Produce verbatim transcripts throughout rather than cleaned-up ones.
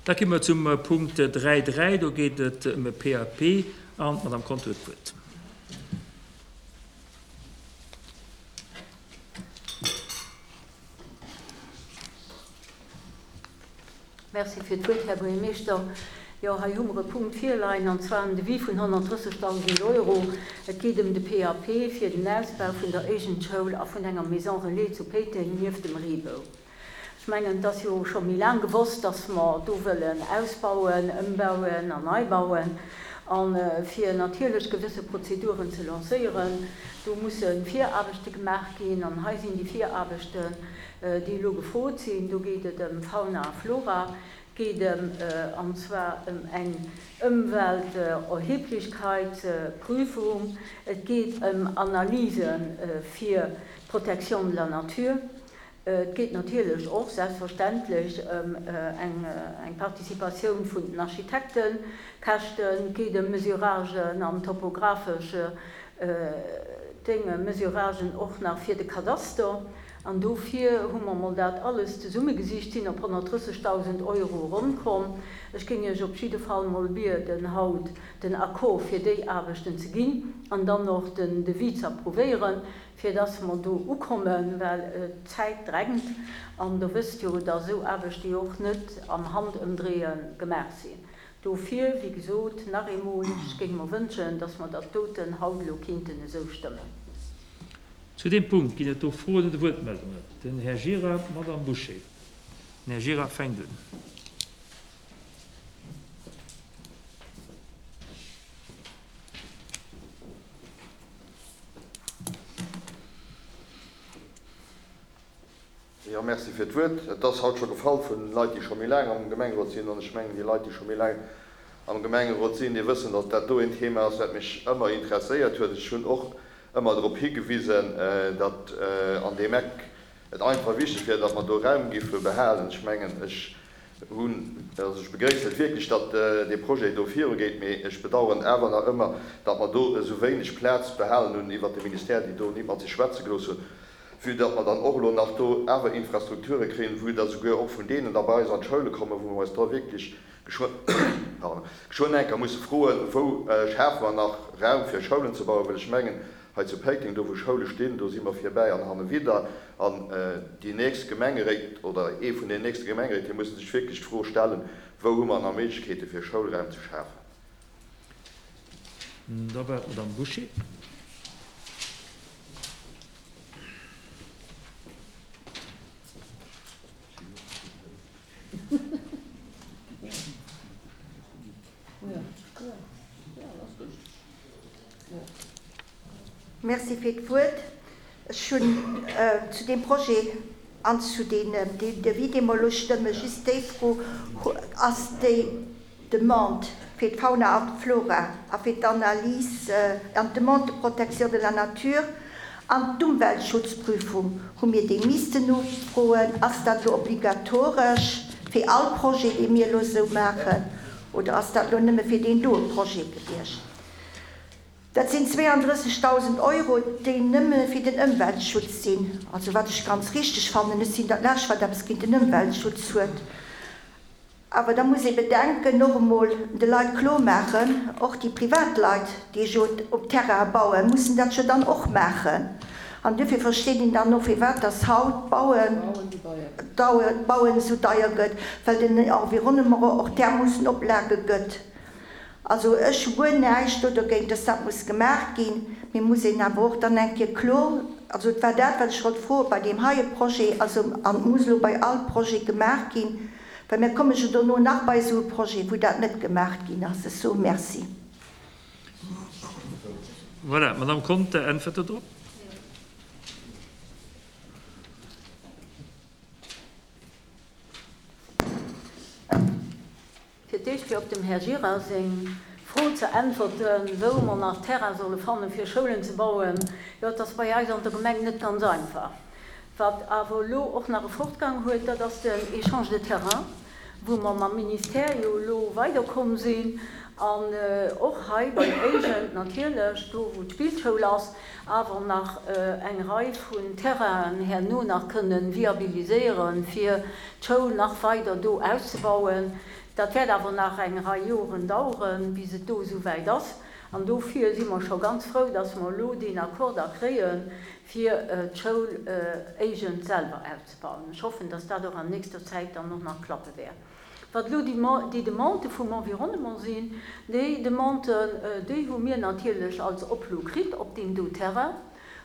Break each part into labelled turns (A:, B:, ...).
A: Da komme mer zum Punkt dräi dräi, do geet et ëm e P A P an d'Madame Conter huet d'Wuert.
B: Merci fir d'Wuert, Här Buergermeeschter. Jo, hei hu mer e Punkt virleien, an zwar en Devis vun honnertdrëssegdausend Euro. Et geet ëm de P A P fir den Ausbau vun der Éigendschoul a vun enger Maison Relais zu Péiteng nieft dem Reebou. Ech mengen, et ass jo scho méi laang gewosst, dass mer do wëllen ausbauen, ëmbauen an neibauen. An fir natierlech gewësse Prozeduren ze lancéieren, do musse Viraarbechte gemaach ginn. An hei sinn déi Viraarbechten, déi elo gefrot sinn. Do geet et ëm Fauna a Flora, geet ëm, an zwar ëm eng Ëmwelterheblichkeitsprüfung, et geet ëm Analyse fir d'Protection de la nature, et geet natierlech och selbstverständlech ëm eng, eng Participatioun vun den Architektenkäschten, et geet ëm Mesuragen an topographesch Dinge, Mesuragen och nach fir de Kadaster. An dofir hu mer mol dat alles zesummegesicht, sinn op honnertdrëssegdausend Euro ronnkomm. Ech géing Iech op jidde Fall mol bieden, haut den Accord fir déi Aarbechten ze ginn an dann och den Devis ze approuvéieren, fir dass mer do ukommen, well d'Zäit drängt. An der wësst jo, dass esou Aarbechte jo och net am Handëmdréie gemaach sinn. Dofir, wéi gesot, nach eemol, ech géing mer wënschen, dass mer dat doten haut elo kinnten esou stëmmen.
A: Zu deem Punkt ginn et do Froen oder Wuertmeldungen. Den Här Gira, d'Madame Bouché. Den Här Gira fänkt un.
C: Jo, merci fir d'Wuert. Et ass haut scho gefall vun Leit, déi scho méi laang am Gemengerot sinn. An ech mengen, déi Leit, déi scho méi laang am Gemengerot sinn, déi wëssen, datt dat do een Thema ass, wat mech ëmmer interesséiert huet. Ech hunn och ëmmer drop higewisen, datt an deem Eck et einfach wichteg wär, datt mer do Raum giffe behalen. Ech mengen, ech hunn, also ech begréissen et wierklech, datt dee Projet do virugeet, mee ech bedauern awer nach ëmmer, datt mer do esou wéineg Plaz behalen hunn iwwert de Ministère, déi do nit mat sech schwätze gelooss hunn, vue datt mer dann och elo nach do awer Infrastrukture kréien, vue datt esouguer och vun deenen da bei eis an d'Schoule kommen, wou mer eis da wierklech geschwënn, pardon, geschwënn enker musse froen, wou schafe mer nach Raum fir Schoulen ze bauen, well ech mengen, hei zu Péiteng, do wou Schoule stinn, do si mer virbäi an hanne widder. An déi nächst Gemengeréit oder ee vun den nächste Gemengeréit, déi musse sech wierklech d'Fro stellen, wou hu mer nach Méiglechkeete fir Schoulraum ze schafen.
A: Da war d'Madame Bouché.
D: Merci fir d'Wuert. Ech hunn zu deem Projet an zu deem Devis, dee mer elo stëmmen, just déi Fro, Ass déi Demande fir d'Fauna an d'Flora a fir d'Analyse an d'Demande de protection de la nature an d'Umweltschutzprüfung, hu mir déi missten nofroen? Ass dat elo obligatoresch fir all Projet, dee mir elo esou maachen, oder ass dat elo nëmme fir deen doe Projet gewiescht? Dat sinn zweeandrëssegdausend Euro, déi nëmme fir den Ëmweltschutz sinn, also wat ech ganz richteg fannen. Ech sinn dat Lescht, wat eppes géint den Ëmweltschutz huet. Awer da muss ee bedenken, och emol de Leit klormaachen, och déi Privatleit, déi jo op Terraine bauen, mussen dat jo dann och maachen. An duerfir versteet een dann och, firwat dass haut d'Bauen, d'Bauen esou deier gëtt, well den Environnement och därmoossen Oplage gëtt. Also ech hu guer näischt do dogéint, dass dat muss gemaach ginn, mee muss een awer och dann eng Kéier kloer, also et war dat, wat ech wollt froen bei deem heie Projet, also an et muss elo bei all Projet gemaach ginn, well mir komme jo dono nach bei esou e Projet, wou dat net gemaach ginn ass. Ech soe Merci.
A: Voilà, d'Madame Conter äntwert do drop.
B: Fir d'éischt fir op dem Här Gira seng Fro ze äntwerten, wou mer nach Terrain solle fannen, fir Schoulen ze bauen. Jo, et ass bei eis an der Gemeng net ganz einfach. Wat awer elo och nach e Fortgang huet, dat ass den Échange de terrain, wou mer mam Ministère jo elo weiderkomm sinn an och hei bei Éigent natierlech, do wou d'Spillschoul ass, awer nach eng Rei vun Terrainen herno nach kënnen viabiliséieren, fir d'Schoul nach weider do auszebauen. Dat wäert awer nach eng Rei Joren daueren, bis et do esouwäit ass. An dofir si mer scho ganz frou, dass mer elo deen Accord da kréien, fir d'Schoul Eigent selwer auszebauen. Ech hoffen, dass dat och an nächster Zäit dann och nach klappe wäert. Wat elo déi Demandë vum Environnement sinn, déi Demanden, déi hu mir natierlech als Oplo kritt op deem do Terrain,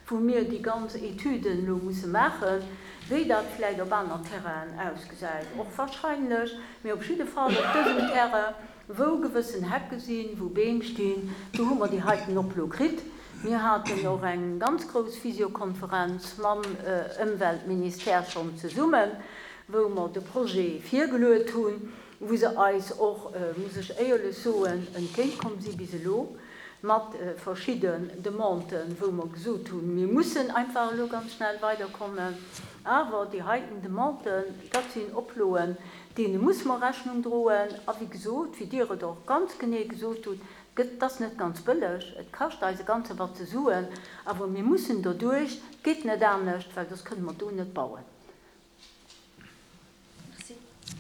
B: wou mir déi ganz Etüden elo musse maachen, wéi dat vläicht op aner Terrainen ausgesäit, och wahrscheinlech, mee op jidde Fall op dësem Terrain, wou gewëssen Hecke sinn, wou Beem stinn, do hu mer déi heiten Oplo kritt. Mir haten och eng ganz grouss Visiokonferenz mam Ëmweltministère schonn zesummen, wou mer de Projet virgeluet hunn, wou se eis och, muss ech éierlech soen, entgéintkomm si bis elo mat verschidden Demanden, wou mer gesot hunn, mir mussen einfach elo ganz schnell weiderkommen. Awer déi heiten Demanden, dat sinn Oploen, deene muss mer Rechnung droen. A wéi gesot, wéi Dir et och ganz genee gesot hutt, gëtt, et ass net ganz bëlleg, et kascht eis e ganze Batze Suen, awer mir mussen doduerch, et geet net anescht, well soss kënne mer do net bauen.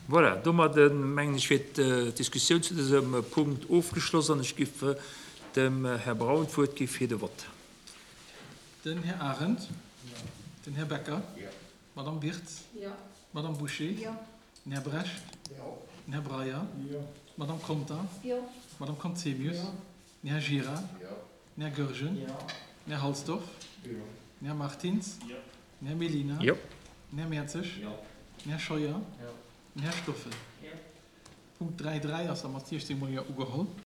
A: Voilà, domadde mengen ech wier d'Diskussioun zu dësem Punkt ofgeschloss an ech giff dem Här Braun d'Wuert gi fir de Vott.
E: Den Här Arendt. Den Här Becker. D'Madame Wirtz. D'Madame Bouché. Den Här Brecht. Den Här Breyer. D'Madame Conter. D'Madame Conzemius. Den Här Gira. Den Här Goergen. Den Här Halsdorf. Den Här Martins. Den Här Mellina. Den Här Mertzig. Den Här Scheuer. Den Här Stoffel. Punkt dräi dräi ass da mat siechzéng Mol Jo ugeholl.